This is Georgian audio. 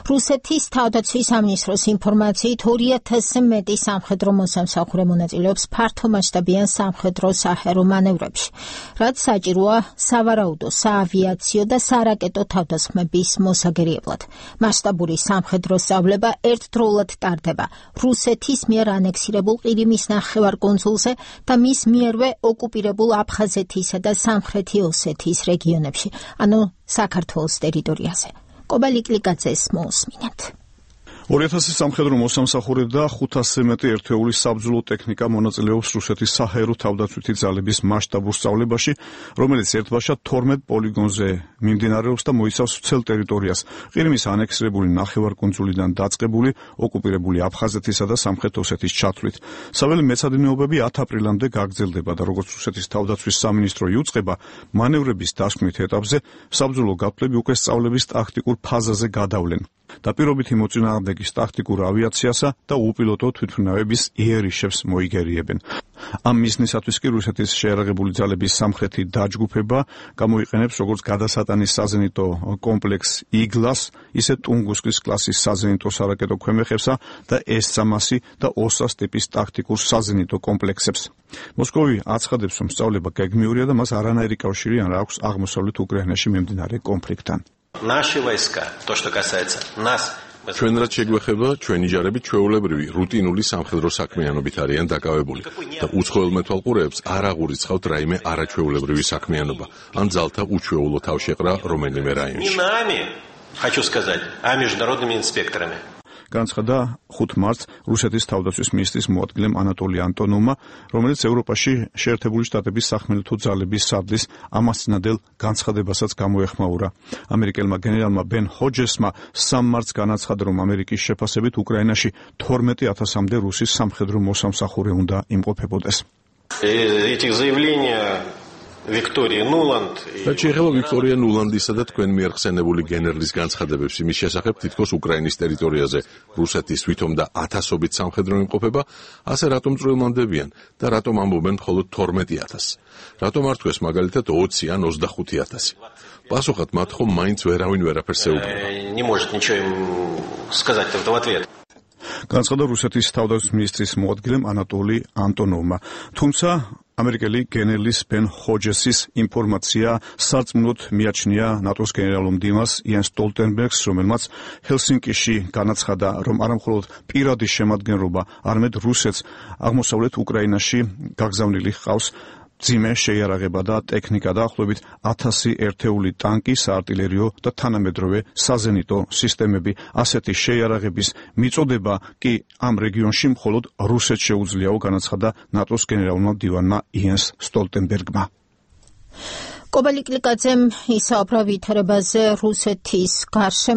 რუსეთის თავდაცვის სამინისტროს ინფორმაციით 2000-ზე მეტი სამხედრო მოსამსახურე მონაწილეობს ფართომასშტაბიან სამხედრო საჰაერო მანევრებში, რაც საჭიროა სავარაუდო, საავიაციო და სარაკეტო თავდასხმების მოსაგერიებლად. მასშტაბური სამხედრო სწავლება ერთდროულად ტარდება რუსეთის მიერ ანექსირებულ ყირიმის ნახევარკუნძულზე და მის მიერვე ოკუპირებულ აფხაზეთისა და სამხრეთი ოსეთის რეგიონებში, ანუ საქართველოს ტერიტორიაზე. კობალიკლიკაძეს მოусმინეთ. 2000 სამხედრო მოსამსახურე და 500-ზე მეტი ერთეულის საბრძოლო ტექნიკა მონაწილეობს რუსეთის საჰაერო თავდაცვითი ძალების მასშტაბურ სწავლებაში, რომელიც ერთბაშად 12 პოლიგონზე მიმდინარეობს და მოიცავს მთელ ტერიტორიას. ყირიმის ანექსირებული ნახევარკუნძულიდან დაწყებული, ოკუპირებული აფხაზეთისა და სამხრეთ ოსეთის ჩათვლით. საველე მეცადინეობები 10 აპრილამდე გაგრძელდება და როგორც რუსეთის თავდაცვის სამინისტრო იუწყება, მანევრების დასკვნით ეტაპზე საბრძოლო გაფლები უკვე სწავლების ტაქტიკურ ფაზაზე გადავლენ. დაპირობითი მოწინააღმდეგის ტაქტიკურ ავიაციასა და უპილოტო თვითმფრინავების იერიშებს მოიგერიებენ. ამ მიზნისათვის კი რუსეთის შეიარაღებული ძალების სამხრეთი დაჯგუფება გამოიყენებს როგორც გადასატანის საზენიტო კომპლექს იგლას, ისე ტუნგუსკის კლასის საზენიტო სარაკეტო ქვემეხებსა და S-300 და OSAS ტიპის ტაქტიკურ საზენიტო კომპლექსებს. მოსკოვი აცხადებს, რომ სწავლება გეგმიურია და მას არანაირი კავშირი არ აქვს აღმოსავლეთ უკრაინაში მიმდინარე კონფლიქტთან. Наши войска, то, что касается нас, ჩვენ რაც შეგვეხება, ჩვენი ჯარები ჩვეულებრივი რუტინული სამხედრო საქმიანობით არიან დაკავებული და უცხოელ მეთვალყურეებს არ აღურიცხავთ რაიმე არაჩვეულებრივი საქმიანობა ან ძალთა უჩვეულო თავშეყრა რომელიმე რაიონში. не нами, хочу сказать, а международными инспекторами. განცხადა 5 მარტს რუსეთის თავდაცვის მინისტრის მოადგილემ ანატოლი ანტონოვმა, რომელიც ევროპაში შეერთებული შტატების სახმელეთო ძალების სარდლის ამასწინადელ განცხადებასაც გამოეხმაურა. ამერიკელმა გენერალმა ბენ ჰოჯესმა 3 მარტს განაცხადა, რომ ამერიკის შეფასებით უკრაინაში 12,000-მდე რუსის სამხედრო მოსამსახურე უნდა იმყოფებოდეს. Эти заявления Виктория Нуланд რაც შეეხება ვიქტორია ნულანდისა და თქვენ მიერ ხსენებული გენერლის განცხადებებს იმის შესახებ, თითქოს უკრაინის ტერიტორიაზე რუსეთის თვითონ და ათასობით სამხედრო იმყოფება, ასე რატომ წვრილმანდებიან და რატომ ამბობენ მხოლოდ 12,000? რატომ არ თქვეს მაგალითად 20 ან 25,000? პასუხად მათ ხომ მაინც ვერავინ ვერაფერს ეუბნება. не может ничего им сказать в ответ. განცხადა რუსეთის თავდაცვის მინისტრის მოადგილემ ანატოლი ანტონოვმა. თუმცა ამერიკელი გენერლის ბენ ჰოჯესის ინფორმაცია სარწმუნოდ მიაჩნია ნატოს გენერალურ მდივანს იენს სტოლტენბერგს, რომელმაც ჰელსინკიში განაცხადა, რომ არამხოლოდ პირადი შემადგენლობა, არამედ რუსეთს აღმოსავლეთ უკრაინაში გაგზავნილი ჰყავს ძიმე შეიარაღება და ტექნიკა, დაახლოებით 1000 ერთეული ტანკი, საარტილერიო და თანამედროვე საზენიტო სისტემები. ასეთი შეიარაღების მიწოდება კი ამ რეგიონში მხოლოდ რუსეთს შეუძლიაო, განაცხადა ნატოს გენერალურმა მდივანმა იენს სტოლტენბერგმა. კობალიკლიკაძემ ისაუბრა ვითარებაზე რუსეთის გარშემო